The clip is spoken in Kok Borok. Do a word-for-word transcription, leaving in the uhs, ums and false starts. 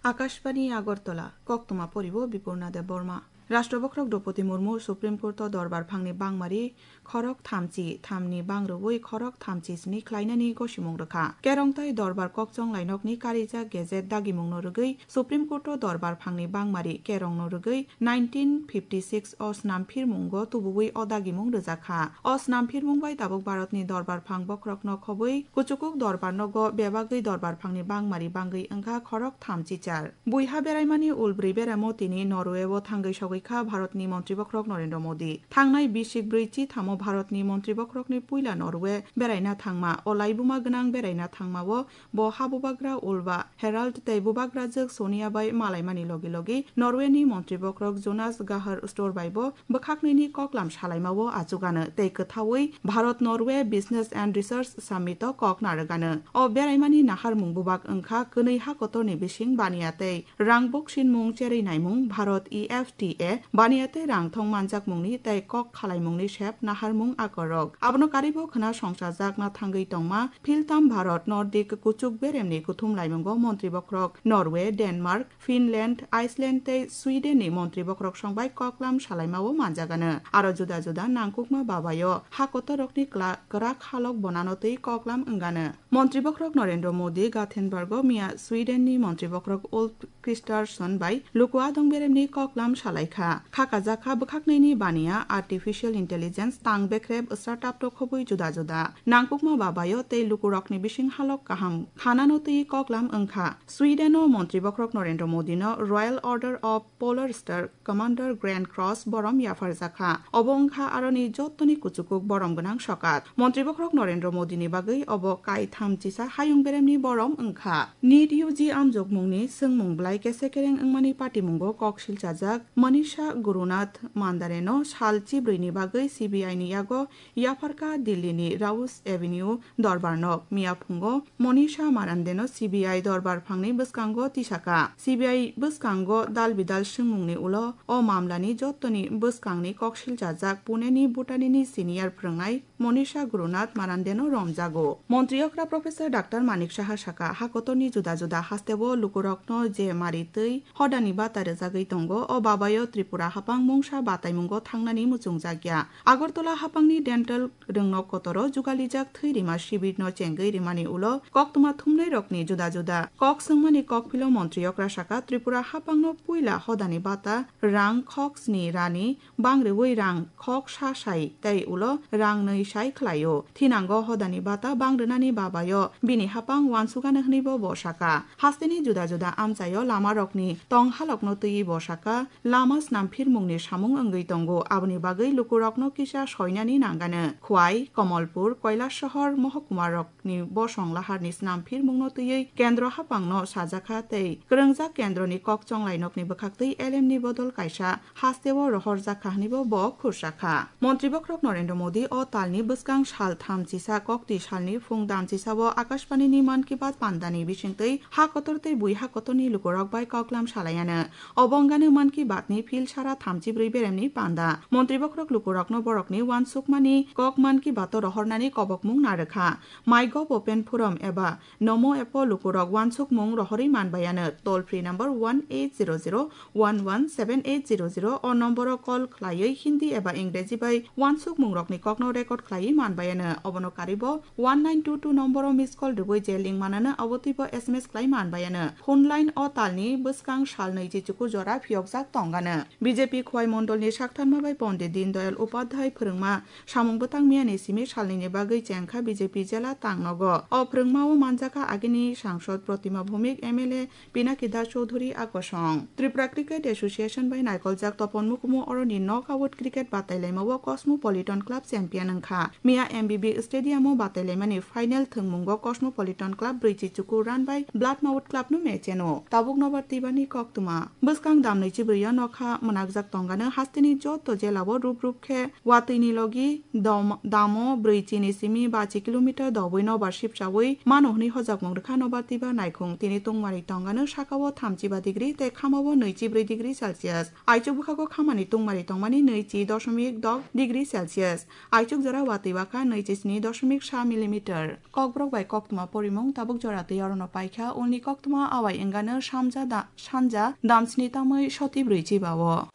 Akashbani Agartala, koktwma poribo Bipurna Debbarma. Rashtra Bokhorok Droupadi Murmu Supreme Court o dorbar phangni bangmari khorok thamchi thamni bangrwui khorok thamchi sni khlainani gosimung rwkha. Kerong tei dorbar kokchong lainokni karijak gazette dagimungno rwgwi Supreme Court o dorbar phangni bangmari kerongno rwgwi nineteen fifty six o snam phirmungo tubuwi o dagimung rwjakha. O snam phirmung bai tabuk Bharatni dorbar phang bokhorokno khobwi kuchukuk dorbar nogo bebagwi dorbar phangni bangmari bangwi wngkha khorok thamchi char. Buiha beraimani ulbrwi beramo tini Norway o thangwi sogwi kha Bharatni Montri Bokhorok Narendra Modi. Thangnai bisik brwi chithamo Bharatni Montri Bokhorokni puila Norway beraina thangma. O laibuma gwnang beraina thangmao bo ha bubagra Ulva Harald tei bubagrajwk Sonia bai malaimani logi logi Norwayni Montri Bokhorok Jonas Gahr Store bai bo bwkhaknwini koklam salaimao achugano tei kwthaui Bharat Norway Business and Research Summit o kok narwgano. O beraimani naharmung bubak wngkha kwnwi ha kotorni bising baniya tei rang buksinmung cherwi naimung Bharat E F T A baniya tei rang thong manjakmungni tei kok khalaimungni sep naharmung akorok. Abono karibo khwna songchajakna thangwi tongma Philtam Bharat Nordic kuchuk beremni kuthum laimungo Montri Bokhorok Norway, Denmark, Finland, Iceland tei Sweden ni Montri Bokhorok songbai koklam salaimao manjagano. Aro juda juda nangkukma babayo ha kotorokni kla-, kwrak halok bonano tei koklam wngano. Montri Bokhorok Narendra Modi Gothenburg o miya Sweden ni Montri Bokhorok Ulf Kristersson bai luku adong beremni koklam salaikha. Khakajak kha bwkhaknwini baniya, artificial intelligence, tang bekrep, startup rok khobwi juda juda. Nangkukma babayo tei lukurokni bising halok kaham khanano twi koklam wngkha. Sweden o Montri Bokhorok Narendra Modi no Royal Order of Polar Star Commander Grand Cross borom yapharjakha. Obo wngkha aroni jottoni kuchukuk borom gwnang sokat. Montri Bokhorok Narendra Modi ni bagwi obo kaitham chisa hayung beremni borom wngkha. NEET U G amjokmungni swngmung belai kese kereng wngmani patimungo kok silchajak Manisha Gurunath Mandare no sal chibrwi ni bagwi C B I ni yago yapharkha Delhi ni Rouse Avenue dorbar nok. Miya phungo Manisha Marande no C B I dorbar phangni bwskango tisaka. C B I bwskango dal bidal swngmungni ulo o mamlani jottoni bwskangni kok silchajak Pune ni Bhutani ni senior phwrwngnai Monisha Gurunath Marandeno romjago. Montri okra Professor Doctor Manik Saha saka, ha kotorni juda juda hasteo lukurokno je mari twi hodani bata rwjagwi tongo, o babayo Tripura hapang mungsa bataimungo thangnani muchungjakya. Agartala hapangni dental rwngnok kotoro jugalijak thwi rima sibirno chengwi rimani ulo koktwma thumnairokni juda juda kok swngmani kokphilo montri okra saka, Tripura hapangno puila hodani bata rang khok sni rani bang rwui rang khok sa sai tei ulo rang nwi sai khlaio. Thinango hodani bata bang rwnani babayo bini hapang uansukano hwnwibo bo saka. Hasteni juda juda amchaio lamarokni tong halokno twiwi bo saka, lama snamphirmungni samung wngwi tongo, aboni bagwi lukurokno kisa soinani nangano. Khwai, Komolpur, Koilasahar mohokuma rok ni bosong laharni snam phirmungno twiwi kendro hapangno sajakha tei kwrwngjak kendroni kok chonglainokni bwkhaktwi L M ni bodol kaisa hasteo rohorjakha hwnwibo bo khursa kha. Montri bokhorok Narendra Modi o talni bwskang sal thamchisa koktwi salni phung damchisao Akashbanini Mann Ki Baat pandani bisingtwi ha kotor tei bui ha kotorni lukurok bai koklam salaiano. Obo wngano Mann Ki Baat ni phil sara thamchibrwi beremni panda. Montri bokhorok lukurokno borokni uansukmani kok Mann Ki Baat o rohornani kobokmung narwkha. MyGov Open Forum eba Namo app o lukurok uansukmung rohorwi manbaiano. Toll free number one eight zero zero one one seven eight zero zero o nomboro call khlaiwi Hindi eba Ingreji bai uansukmungrokni kokno record khlaiwi manbaiano. Obono karibo one nine two two nomboro miss call rwui je link manano, abo twibo S M S khlai manbaiano. Phone line o talni bwskang sal nwichi chukur jora phiyokjak tongano. B J P Khwai Mondolni saktharma bai Pondit Dindayal Upadhyay phwrwngma samung bwtang miyani simi salnwini bagwi chengkha B J P jela tangnogo. O phwrwngmao manjakha agini sangsod Protima Bhowmik, M L A Pinaki Das Chowdhury a kosong. Tripura Cricket Association bai naikoljak topon mukumu oroni knockout cricket batailaimao Cosmopolitan Club champion wngkha. Miya M B B Stadium o batailaimani final thwngmungo Cosmopolitan Club brwichi chukur run bai Bloodmouth Club no mecheno. Tabuk nobar twibani koktwma. Bwskang damnwi chibrwi o nokha mwnakjak tongano hasteni joto jelao rup rup khe watwini logi dom-, damo brwi chini simi bachi kilometer dobwi nobar sipchawi mano hwnwi hojakmung rwkha nobar twibar naikhung. Tini tungmari tongano sakao thamchiba degree tei khamao nwichibrwi degree Celsius. Aichuk bwkhago khamani tungmari tongmani nwichi doshomik dok degree Celsius. Aichuk jora watwi bakha nwichi sni doshomik sa millimeter. Kokborok bai koktwma porimung tabuk jora twi orono paikha, ulni koktwma awai wngano samja da-, sanja damsni tamwi soti brwi chibao.